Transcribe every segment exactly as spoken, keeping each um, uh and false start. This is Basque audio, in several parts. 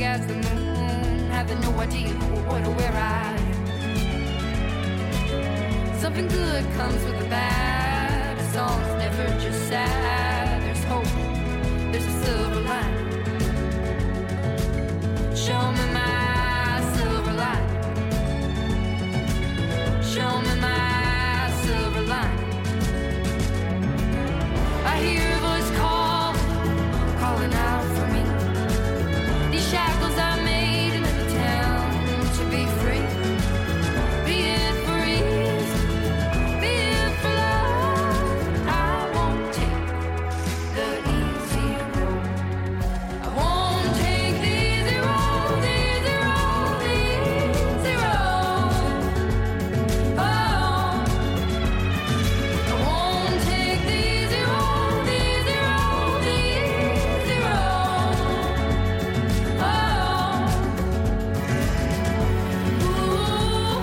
big as the moon, having no idea what or where I am. Something good comes with the bad. A song's never just sad. There's hope, there's a silver line. Show me my silver line. Show me my silver line. I hear a voice call, calling out for me. These shackles I made in the town to be free. Be it for ease, be it for love. I won't take the easy road. I won't take the easy road, the easy road, the easy road. Oh, I won't take the easy road, the easy road, the easy road. Oh, ooh, ooh,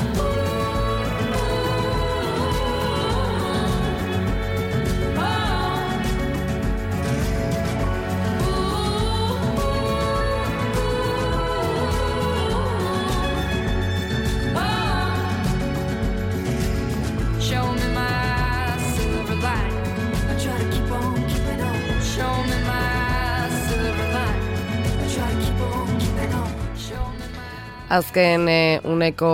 show me my silver line. I try to keep on keeping on. Show me my silver line. I try to keep on keeping on. Show me my. Azken e, uneko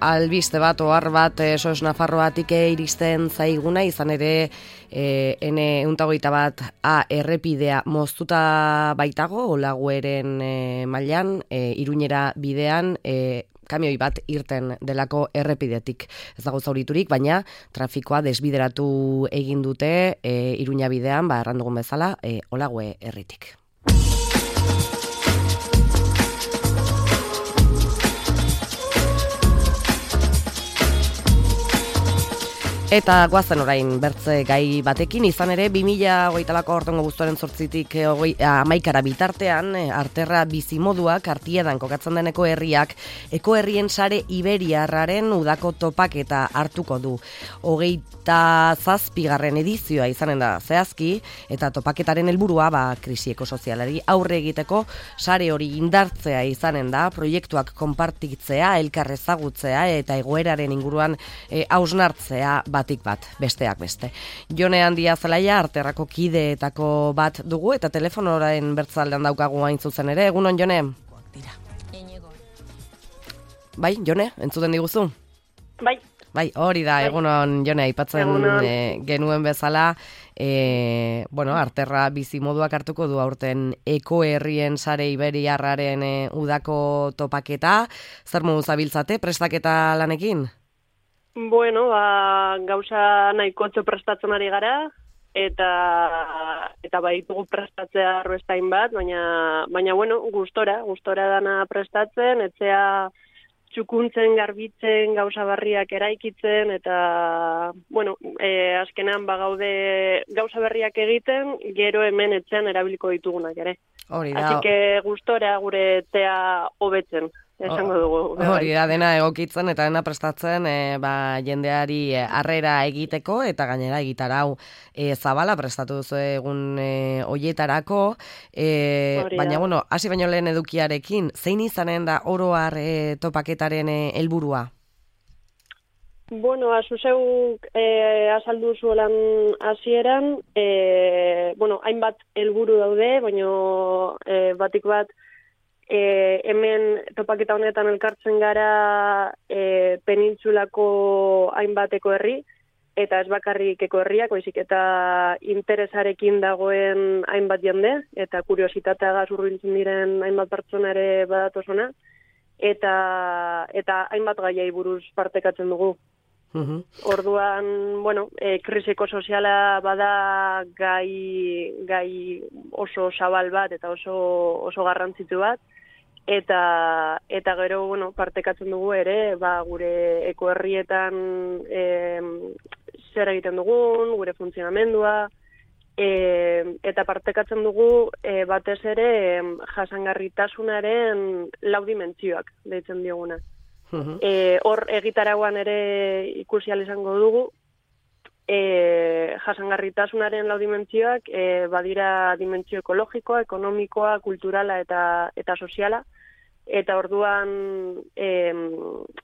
albiste bat, ohar bat, e, sos Nafarroatik e, iristen zaiguna, izan ere e, ene euntagoita bat A errepidea moztuta baitago, Olagueren e, mailan, e, Iruñera bidean, e, kamioi bat irten delako errepidetik. Ez dago zauriturik, baina trafikoa desbideratu egin dute e, Iruña bidean, ba, errandugun bezala, e, Olague herritik. Eta guazen orain bertze gai batekin, izan ere bi mila hogeita lauko aurtengo abuztuaren zortzitik hamaikara bitartean, Arterra bizimoduak Artiedan kokatzen den ekoherriak ekoherrien sare iberiarraren udako topaketa hartuko du. Hogeita zazpigarren edizioa izanen da zehazki, eta topaketaren helburua ba, krisi ekosozialari aurre egiteko sare hori indartzea izanen da, proiektuak konpartitzea, elkar ezagutzea eta egoeraren inguruan e, hausnartzea batik bat, besteak beste. Jone Handia Zelaia, Arterrako kideetako bat dugu, eta telefonoraen bertzaldean daukagu hain zuzen ere. Egunon, Jone? Bai, Jone, entzuten diguzu? Bai. Bai, hori da, egunon, Jone, aipatzen e, genuen bezala, e, bueno, Arterra bizimoduak hartuko du aurten ekoherrien sare iberiarraren e, udako topaketa. Zer modu zabiltzate, prestaketa lanekin? Bueno, ba, gauza nahikotxo prestatzen ari gara, eta eta baitugu prestatzea arrostain bat, baina, baina bueno, gustora, gustora dana prestatzen, etzea txukuntzen, garbitzen, gauza barriak eraikitzen, eta, bueno, e, azkenean bagaude gauza berriak egiten, gero hemen etxean erabiliko ditugunak ere. Hori da. Así que gustora gure etzea hobetzen. Esango dugu. Hori da, dena egokitzen eta dena prestatzen e, ba, jendeari harrera egiteko eta gainera egitarau e, zabala prestatu duzu egun e, oietarako. E, baina, bueno, hasi baino lehen edukiarekin, zein izanen da oro har e, topaketaren helburua? Bueno, azuzeuk e, azaldu zuelan hasieran, e, bueno, hainbat helburu daude, baina e, batik bat, E, hemen topaketa honetan elkartzen gara e, penintsulako hainbateko herri, eta ez bakarrik ekoherriak, baizik eta interesarekin dagoen hainbat jende, eta kuriositateagaz hurbiltzen diren hainbat pertsona ere badatozona, eta, eta hainbat gaiei buruz partekatzen dugu. Uhum. Orduan, bueno, e, krisiko soziala bada gai, gai oso zabal bat eta oso, oso garrantzitu bat, eta eta gero, bueno, partekatzen dugu ere, ba, gure ekoherrietan e, zer egiten dugun, gure funtzionamendua, e, eta partekatzen dugu e, batez ere jasangarritasunaren lau dimentsioak deitzen dioguna. Uh-huh. E, hor egitaragoan ere ikusi ahal izango dugu, e, jasangarritasunaren lau dimentsioak e, badira dimentsio ekologikoa, ekonomikoa, kulturala eta eta soziala. Eta orduan, e,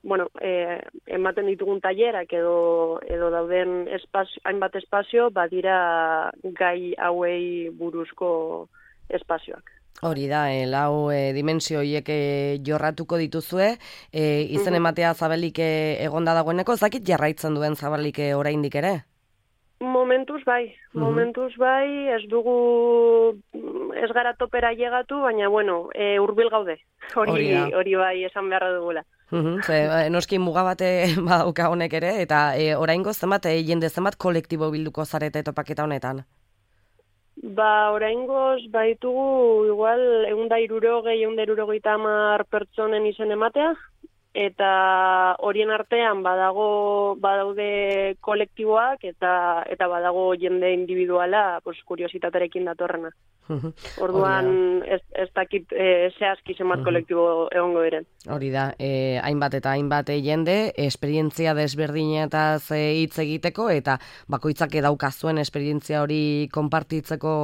bueno, e, ematen ditugun tailerak edo edo dauden espazio, hainbat espazio badira gai hauei buruzko espazioak. Hori da, e, lau e, dimensio horiek e, jorratuko dituzue, e, izen ematea zabalik e, egonda dagoeneko, ez dakit jarraitzen duen zabalik e, oraindik ere? Momentuz bai, momentuz bai, ez dugu, ez gara topera llegatu, baina bueno, e, hurbil gaude, hori hori bai esan beharra dugula. Uhum, ze, noski muga bate badauka honek ere, eta e, oraingo zenbat, e, jende zenbat kolektibo bilduko zarete topaketa honetan? Ba, oraingoz baitugu igual ehun eta hirurogei, ehun eta hirurogeita hamar pertsonen izen ematea, eta horien artean badago badaude kolektiboak eta eta badago jende individuala, pues kuriositaterekin datorrena. Orduan ez, ez dakit e, zehazki zenbat kolektibo egongo diren. Hori da, e, hainbat eta hainbat jende, esperientzia desberdinetaz hitz egiteko, eta bakoitzak daukazuen esperientzia hori konpartitzeko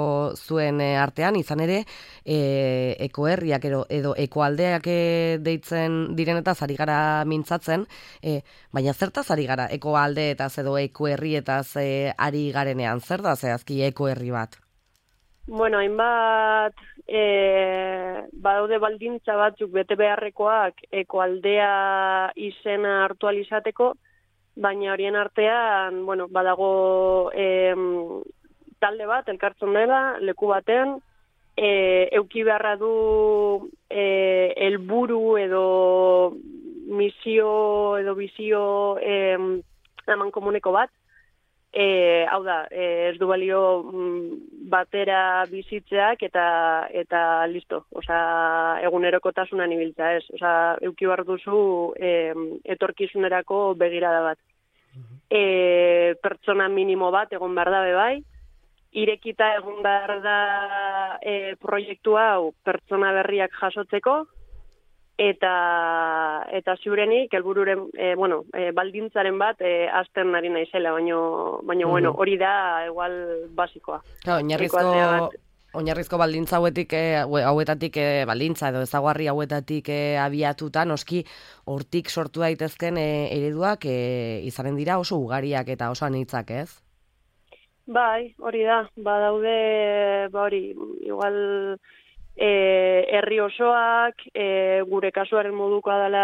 zuen e, artean, izan ere, e, ekoherriak edo, edo ekoaldeak e, deitzen direnetaz ari gara mintzatzen, e, baina zertaz ari gara ekoaldeetaz edo ekoherrietaz e, ari garenean, zer da zehazki ekoherri bat? Bueno, hainbat e, badaude baldintza batzuk bete beharrekoak ekoaldea izena hartu ahal izateko, baina horien artean, bueno, badago e, talde bat, elkartzen dela, leku batean, e, euki beharra du e, helburu edo misio edo bizio e, eman komuneko bat. E, hau da, e, ez du balio batera bizitzeak eta eta listo, osea, egunerokotasunan ibiltza, ez, osea, euki behar duzu e, etorkizunerako begirada bat. E, pertsona minimo bat egon behar da bai, irekita egon behar da e, proiektu hau pertsona berriak jasotzeko, eta eta ziurenik helbururen e, bueno, e, baldintzaren bat e, azten ari naizela, baino baino bueno, hori da igual basikoa. Claro, oinarrizko oinarrizko baldintza hauetik e, hauetatik e, baldintza edo ezaugarri hauetatik e, abiatuta noski hortik sortu daitezken e, ereduak e, izanen dira oso ugariak eta oso anitzak, ez? Bai, hori da. Badaude, ba hori, igual E, herri osoak, e, gure kasuaren modukoa dela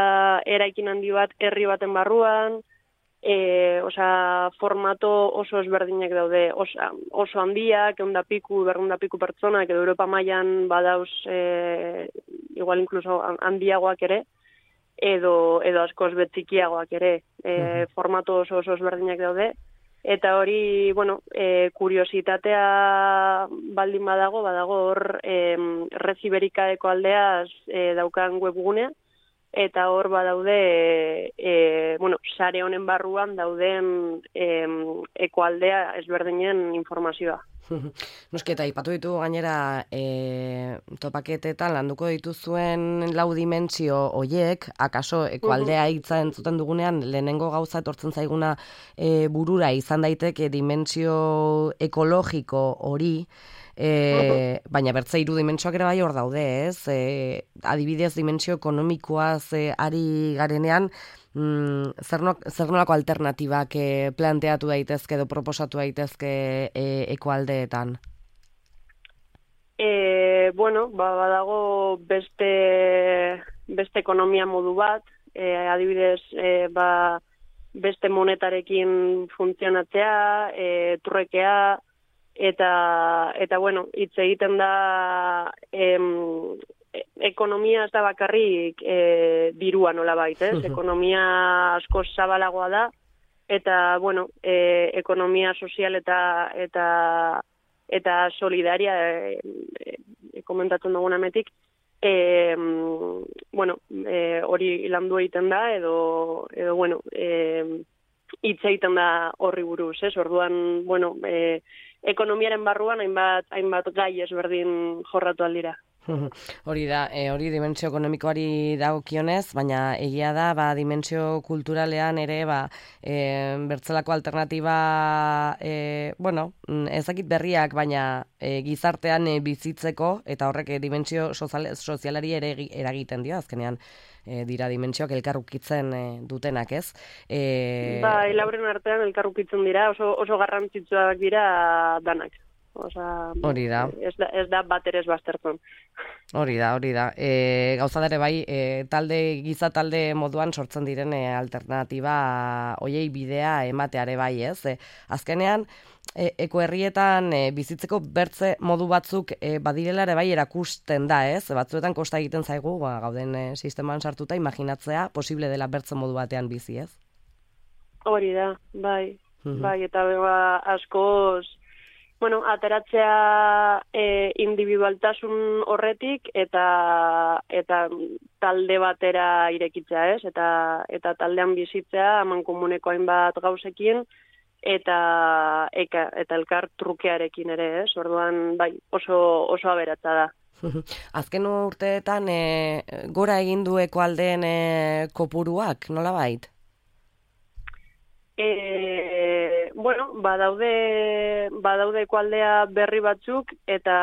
eraikin handi bat herri baten barruan, e, osea, formato oso ezberdinak daude, oso, oso handiak, ehun eta piku, berrehun eta piku pertsonak, edo Europa mailan badauz, e, igual incluso handiagoak ere, edo, edo askoz betzikiagoak ere, e, formato oso oso ezberdinak daude. Eta hori, bueno, e, kuriositatea baldin badago, badago hor e, Red Iberikaeko aldeaz e, daukan webgunea, eta hor badaude, e, bueno, sare honen barruan dauden e, ekoaldea ezberdinen informazioa. Noski, eta ipatu ditu gainera e, topaketetan landuko dituzuen lau dimentsio hoiek, akaso ekoaldea hitza entzuten dugunean lehenengo gauza etortzen zaiguna e, burura izan daiteke dimentsio ekologiko hori, e, baina bertze hiru dimentsioak ere bai hor daude, ez? E, adibidez dimentsio ekonomikoaz e, ari garenean, Mm, zer, no, zer nolako alternatibak eh, planteatu daitezke edo proposatu daitezke eh, ekoaldeetan? E, bueno, ba, badago beste, beste ekonomia modu bat, e, adibidez, e, ba, beste monetarekin funtzionatzea, e, turrekea, eta, eta bueno, hitz egiten da em, ekonomia ez da bakarrik e, dirua nolabait, ez? Ekonomia asko zabalagoa da, eta, bueno, e, ekonomia sozial eta eta eta solidaria e, e, komentatzen dugun ametik, e, bueno, e, hori landu egiten da, edo, edo bueno, e, hitz egiten da horri buruz, ez? Orduan, bueno, e, ekonomiaren barruan hainbat, hainbat gai ezberdin jorratu aldira. Hori da, e, hori dimentsio ekonomikoari dagokionez, baina egia da, ba, dimentsio kulturalean ere, ba, e, bertzelako alternatiba, e, bueno, ezakit berriak, baina e, gizartean e, bizitzeko, eta horrek e, dimentsio sozial, sozialari ere eragiten dio, azkenean, e, dira dimentsioak elkarrukitzen e, dutenak, ez? E... Ba, lauren artean elkarrukitzen dira, oso, oso garrantzitsuak dira danak. Osa, hori da. Ez da, ez da bat ere ez baztertzen. Hori da, hori da. E, gauza dere bai, e, talde, giza talde moduan sortzen diren e, alternatiba hoiei bidea emateare bai, ez? E, azkenean, e, ekoherrietan e, bizitzeko bertze modu batzuk e, badirela ere bai erakusten da, ez? Batzuetan kosta egiten zaigu, ba, gauden e, sisteman sartuta, imaginatzea posible dela bertze modu batean bizi, ez? Hori da, bai. Mhm. Bai, eta ba, askoz bueno, ateratzea e, individualtasun horretik eta eta talde batera irekitzea, ez? Eta eta taldean bizitzea amankomuneko hainbat gauzekin eta eka, eta elkar trukearekin ere, ez? Orduan, bai, oso oso aberatsa da. Azken urteetan e, gora egin du ekoaldeen e, kopuruak, nolabait? E, bueno, badaude, badaude ekoaldea berri batzuk, eta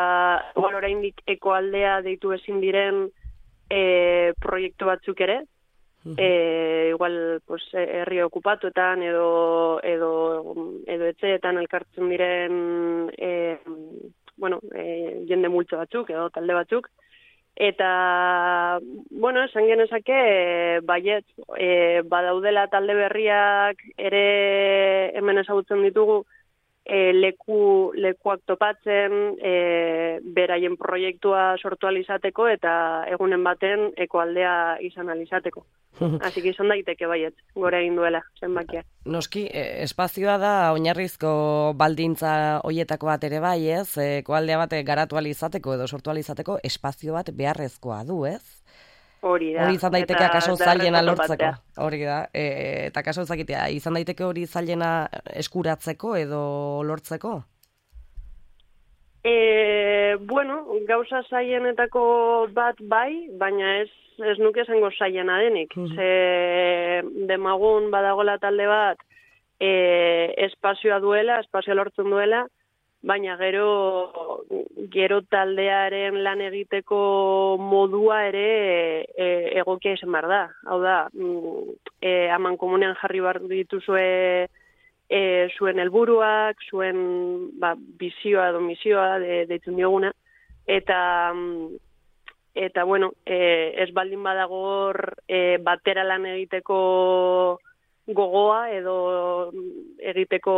igual oraindik ekoaldea deitu ezin diren e, proiektu batzuk ere, e, igual pues, herri okupatuetan edo, edo, edo etxeetan elkartzen diren e, bueno, e, jende multzo batzuk edo talde batzuk, eta, bueno, esan genezake, e, baiet, e, badaudela talde berriak ere hemen ezagutzen ditugu, e, leku, lekuak topatzen, e, beraien proiektua sortu alizateko eta egunen baten ekoaldea izan alizateko. Así que izan daiteke baiet, gora egin duela, zenbakiak. Noski, e, espazioa da oinarrizko baldintza hoietako bat ere bai, ez? Ekoaldea bat garatu alizateko edo sortu alizateko espazio bat beharrezkoa du, ez? Hori da. Hori izan daiteke akaso zailena lortzeko. Hori da. E, eta akaso zakitea, izan daiteke hori zailena eskuratzeko edo lortzeko? E, bueno, gauza zailenetako bat bai, baina ez ez nuke esango zailena denik. Mm-hmm. Ze demagun badagola talde bat e, espazioa duela, espazioa lortzen duela, baina gero gero taldearen lan egiteko modua ere e, egokia izan behar da. Hau da, e, amankomunean jarri behar dituzue e, zuen helburuak, zuen ba, bizioa edo misioa de, deitzen dioguna, eta eta bueno, e, ez baldin badagor e, batera lan egiteko gogoa edo egiteko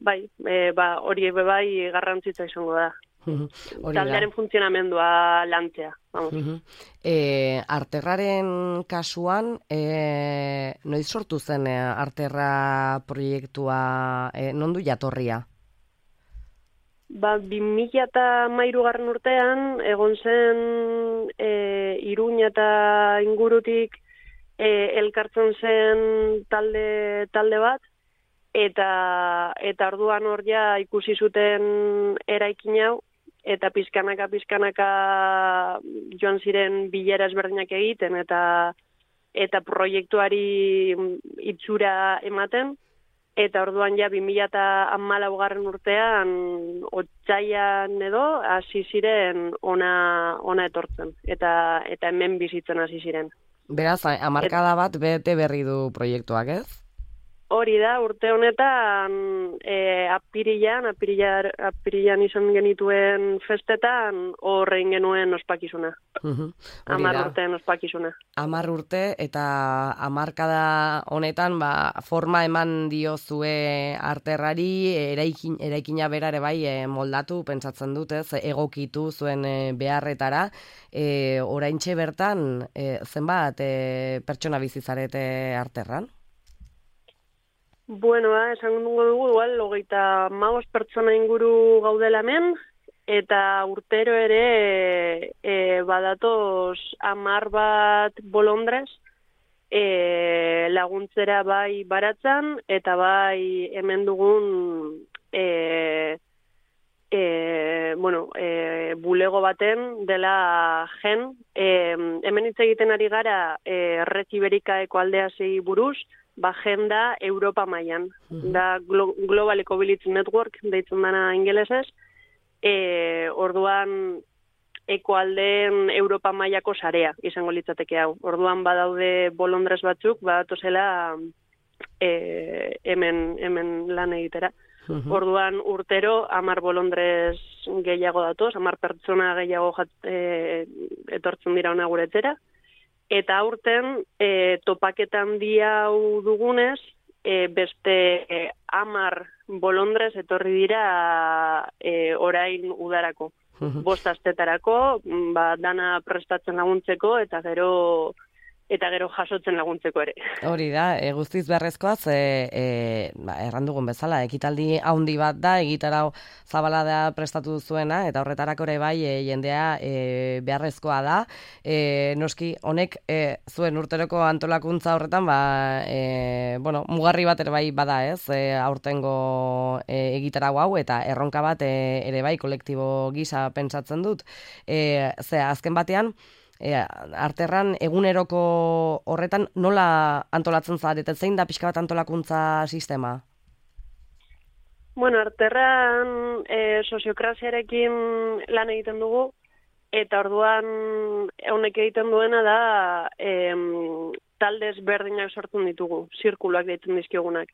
bai, e, ba, hori ebe bai garrantzitza izango da. Taldearen funtzionamendua lantzea. Uh-huh. E, Arterraren kasuan, e, noiz sortu zen e, Arterra proiektua, e, non du jatorria? Ba, bi mila eta hamairugarren urtean, egon zen e, Iruña eta ingurutik e, elkartzen zen talde, talde bat, eta eta orduan hor ja ikusi zuten eraikin hau, eta pizkanaka pizkanaka joan ziren bilera ezberdinak egiten, eta eta proiektuari itxura ematen, eta orduan ja bi mila hamalaugarren urtean otsaian edo hasi ziren ona ona etortzen, eta eta hemen bizitzen hasi ziren. Beraz, hamarkada bat bete berri du proiektuak, ez? Hori da, urte honetan e, apirilan, apirilan, apirilan izan genituen festetan horrein genuen ospakizuna. Uh-huh. Amar urteen ospakizuna. Amar urte eta hamarkada honetan ba, forma eman diozue Arterrari, eraikin, eraikina berare bai e, moldatu, pentsatzen dut, ez, egokitu zuen e, beharretara. E, oraintxe bertan, e, zenbat e, pertsona bizizarete Arterran? Bueno, ba, esan dugu dugu, igual, hogeita hamabost pertsona inguru gaudela hemen, eta urtero ere e, badatoz hamar bat bolondrez e, laguntzera bai baratzan, eta bai hemen dugun e, e, bueno, e, bulego baten dela gen, e, hemen hitz egiten ari gara e, Red Iberikaeko aldeasei buruz, ba gen da Europa mailan, Mhm. da Glo- Global Ecobility Network deitzen dana ingelesez, e, orduan ekoaldeen Europa mailako sarea izango litzateke hau. Orduan badaude bolondrez batzuk, badatozela e, hemen, hemen lan egitera. Mhm. Orduan urtero hamar bolondrez gehiago datoz, hamar pertsona gehiago jat, e, etortzen dira ona guretzera. Eta aurten e, topaketa handia hau dugunez, e, beste e, hamar bolondrez etorri dira e, orain udarako. Mhm. Bost astetarako, ba, dana prestatzen laguntzeko eta gero eta gero jasotzen laguntzeko ere. Hori da, e, guztiz beharrezkoa, ze e, ba, erran dugun bezala, ekitaldi handi bat da, egitarau zabala da prestatu zuena, eta horretarako ere bai e, jendea e, beharrezkoa da. E, noski, honek e, zuen urteroko antolakuntza horretan, ba, e, bueno, mugarri bat ere bai bada ez, e, aurtengo e, egitarau hau, eta erronka bat e, ere bai kolektibo gisa pentsatzen dut. E, ze, azken batean, E, arterran eguneroko horretan nola antolatzen zarete, zein da pixka bat antolakuntza sistema? Bueno, arterran e, soziokraziarekin lan egiten dugu, eta orduan honek egiten duena da e, talde ezberdinak sortzen ditugu, zirkuluak deitzen dizkigunak.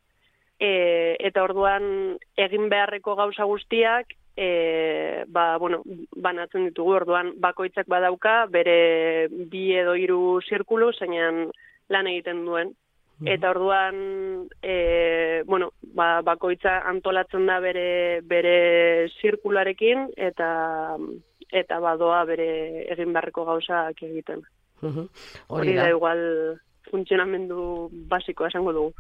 E, eta orduan egin beharreko gauza guztiak E, ba, bueno, banatzen ditugu, orduan bakoitzak badauka bere bi edo hiru zirkulu zeinan lan egiten duen. Eta orduan e, bueno, ba, bakoitza antolatzen da bere bere zirkularekin eta eta badoa bere egin beharreko gauzak egiten. Hori Hori da. da igual funtzionamendu basikoa esango dugu.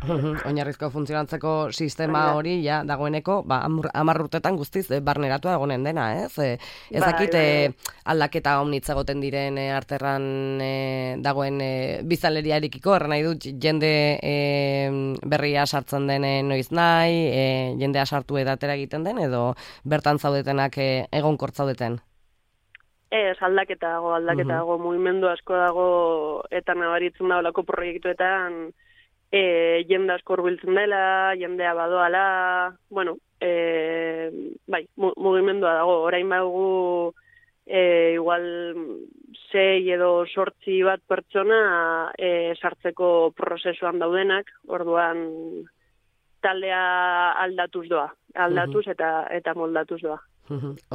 Oinarrizko funtzionatzeko sistema Bai da. hori ja dagoeneko, ba hamar urtetan guztiz eh, barneratua egonen dena, ez? Eh, ez Bai, dakit bai, eh, aldaketa omnitz egoten diren eh, arterran eh, dagoen eh, bizaleriarekiko, erran nahi dut jende eh, berria sartzen den eh, noiz nahi, eh, jendea sartu edatera egiten den, edo bertan zaudetenak eh, egonkor zaudeten? Ez, aldaketa dago, aldaketa Mhm. dago, mugimendu asko dago eta nabaritzen da olako proiektuetan e, jende asko hurbiltzen dela, jendea badoala, bueno, e, bai, mu, mugimendua dago, orain badugu e, igual sei edo sortzi bat pertsona e, sartzeko prozesuan daudenak, orduan taldea aldatuz doa, aldatuz eta eta moldatuz doa.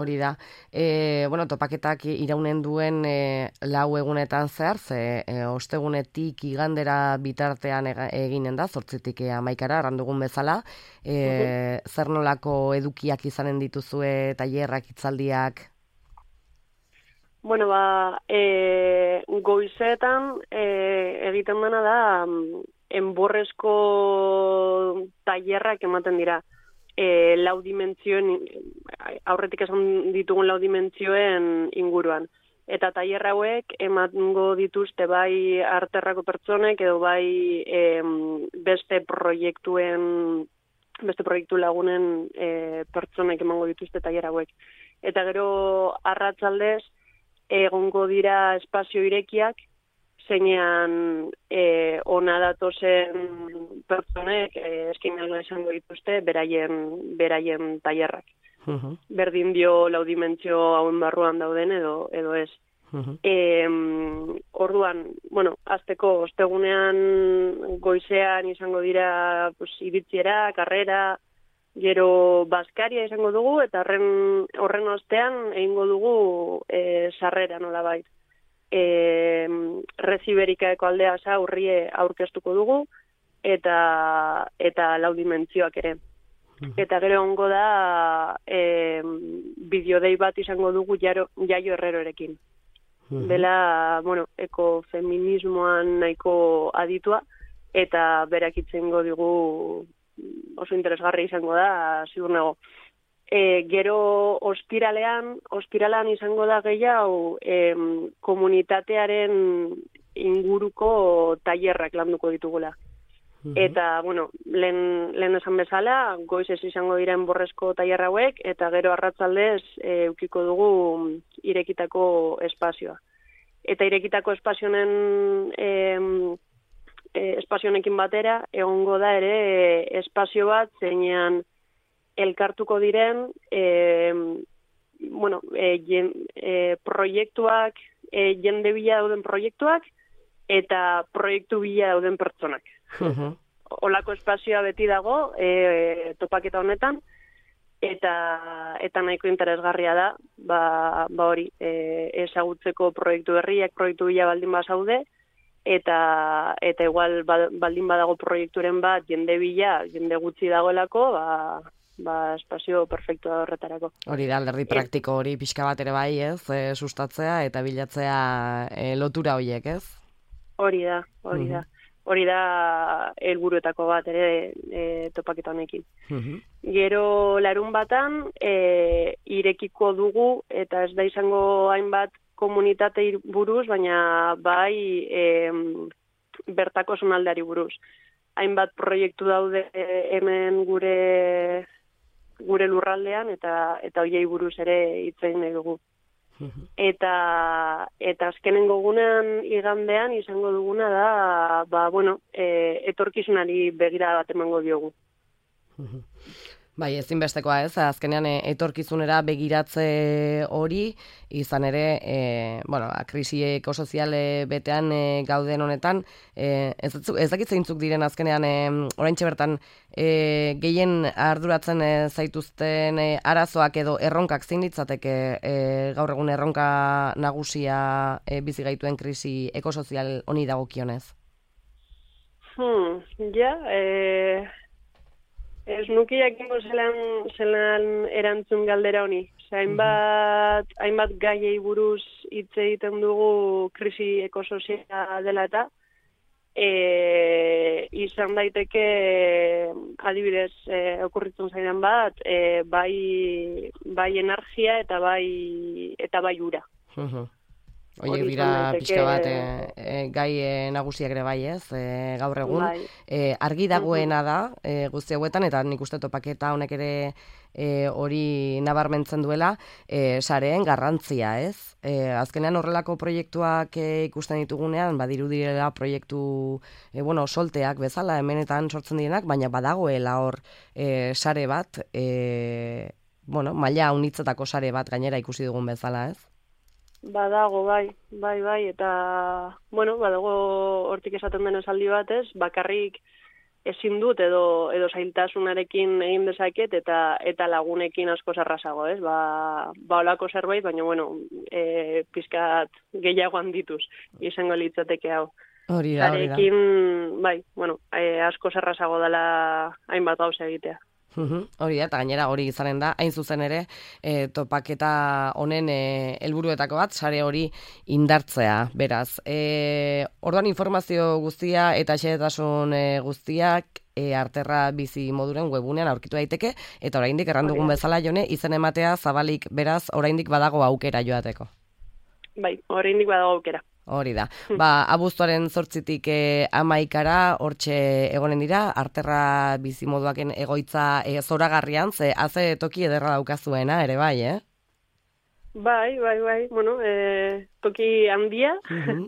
Hori da. E, bueno, topaketak iraunen duen e, lau egunetan zehar, ze e, ostegunetik igandera bitartean ega, eginen da, zortzitik e, amaikara, errandugun bezala. E, zer nolako edukiak izanen dituzue, tailerrak, hitzaldiak? Bueno, ba, e, goizetan e, egiten dena da enborrezko tailerrak ematen dira. E, lau dimentsioen, aurretik esan ditugun lau dimentsioen inguruan. Eta tailer hauek emango dituzte bai arterrako pertsonek edo bai e, beste proiektuen, beste proiektu lagunen e, pertsonek emango dituzte tailer hauek. Eta gero arratsaldez egongo dira espazio irekiak, zeinean e, ona datozen pertsonek e, eskinalgo izango dituzte beraien beraien tailerrak. Uh-huh. Berdin dio lau dimentsio hauen barruan dauden edo edo ez. Uh-huh. E, orduan, bueno, azteko ostegunean goizean izango dira pues, iritziera, karrera, gero baskaria izango dugu eta horren horren ostean egingo dugu e, sarrera nolabait. E, Red Iberikaeko aldea sa urrie aurkeztuko dugu eta eta lau dimentsioak ere. Eta gero ongo da e, bideodei bat izango dugu jaro, Jaio Herrerorekin. Bela, bueno, ekofeminismoan nahiko aditua eta berak itzengo digu oso interesgarri izango da, ziur nago. E, gero ostiralean, ostiralean izango da gehiago e, komunitatearen inguruko tailerrak landuko ditugula. Eta, bueno, lehen, lehen esan bezala, goiz ez izango diren borrezko tailer hauek, eta gero arratsaldez e, ukiko dugu irekitako espazioa. Eta irekitako espazionen e, e, espazionekin batera, egongo da ere e, espazio bat zeinean elkartuko diren e, bueno, e, jen, e, proiektuak, e, jende bila dauden proiektuak, eta proiektu bila dauden pertsonak. Uh-huh. Olako espazioa beti dago e, topaketa honetan, eta eta nahiko interesgarria da, ba, ba hori, e, ezagutzeko proiektu berriak, proiektu bila baldin bazaude, eta eta igual baldin badago proiekturen bat jende bila, jende gutxi dagoelako, ba, ba espazio perfektua horretarako. Hori da, alderdi praktiko hori pixka bat ere bai, ez? E, sustatzea eta bilatzea e, lotura horiek, ez? Hori da, hori da. Hori da helburuetako bat ere e, topaketa honekin. Uh-huh. Gero larun batan e, irekiko dugu, eta ez da izango hainbat komunitate buruz, baina bai e, bertako zonaldeari buruz. Hainbat proiektu daude hemen gure gure lurraldean, eta eta hoiei buruz ere hitz egin nahi dugu. Eta eta azkenengo gunean igandean izango duguna da, ba, bueno, e, etorkizunari begira bat emango diogu. Bai, ezinbestekoa ez, azkenean etorkizunera begiratze hori, izan ere, e, bueno, krisi ekosoziale betean e, gauden honetan, e, ez, ez dakit zeintzuk diren azkenean, e, oraintxe bertan, e, gehien arduratzen e, zaituzten e, arazoak edo erronkak zein litzateke e, gaur egun erronka nagusia e, bizi gaituen krisi ekosozial honi dagokionez? Hmm, ja, e... Ez nuki jakingo zelan, zelan erantzun galdera honi. Hainbat, mm-hmm. hainbat gaiei buruz hitz egiten dugu krisi ekosoziala dela eta e, izan daiteke adibidez e, okurritzen zaidan bat e, bai, bai energia eta bai eta bai ura. Mm-hmm. Oie dira pixka bat e, e, gai e, nagusiak ere bai ez, e, gaur egun. Bai. E, argi dagoena da e, guzti hauetan, eta nik uste topaketa honek ere hori e, nabarmentzen duela, e, sareen garrantzia ez. E, azkenean horrelako proiektuak e, ikusten ditugunean, badiru direla proiektu e, bueno, solteak bezala, hemenetan sortzen direnak, baina badagoela hor e, sare bat, e, bueno, maila unitzetako sare bat gainera ikusi dugun bezala ez. Badago, bai, bai, bai, eta, bueno, badago hortik esaten den esaldi batez, bakarrik ezin dut edo edo zailtasunarekin egin dezaket eta eta lagunekin asko errazago, ez? Ba, ba holako zerbait, baina, bueno, e, pizkat gehiago handituz, izango litzateke hau. Hori da, hori da. Zarekin, bai, bueno, e, asko errazago dela hainbat gauza egitea. Uhum, hori da, eta gainera hori izanen da, hain zuzen ere, e, topaketa honen e, helburuetako bat, sare hori indartzea, beraz. E, orduan informazio guztia eta xehetasun e, guztiak e, Arterra bizi moduren webunean aurkitu daiteke, eta oraindik errandugun bezala Jone, izen ematea zabalik, beraz, oraindik badago aukera joateko. Bai, oraindik badago aukera. Hori da. Ba, abuztuaren zortzitik e, amaikara, hortxe egonen dira, Arterra bizimoduaken egoitza e, zoragarrian, ze haze toki ederra daukazuena, ere bai, eh? Bai, bai, bai, bueno, e, toki handia, uh-huh.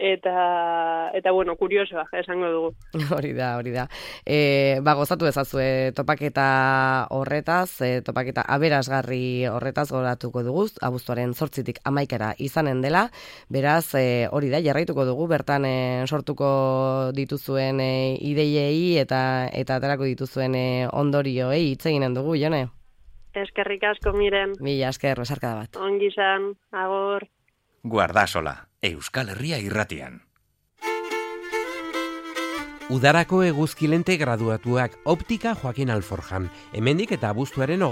eta, eta, bueno, kuriosoa, esango dugu. Hori da, hori da. E, ba, gozatu ezazue topaketa horretaz, e, topaketa aberasgarri horretaz goratuko dugu, abuztuaren zortzitik amaikara izanen dela, beraz, e, hori da, jarraituko dugu, bertan e, sortuko dituzuen e, ideiei eta eta aterako dituzuen e, ondorioei hitz eginen dugu, Jone? Eskerrik asko, Miren. Mila esker, besarkada bat. Ongi izan, agor. Guardasola, Euskal Herria irratian. Udarako eguzkilente graduatuak optika Joaquin Alforjan. Hemendik eta abuztuaren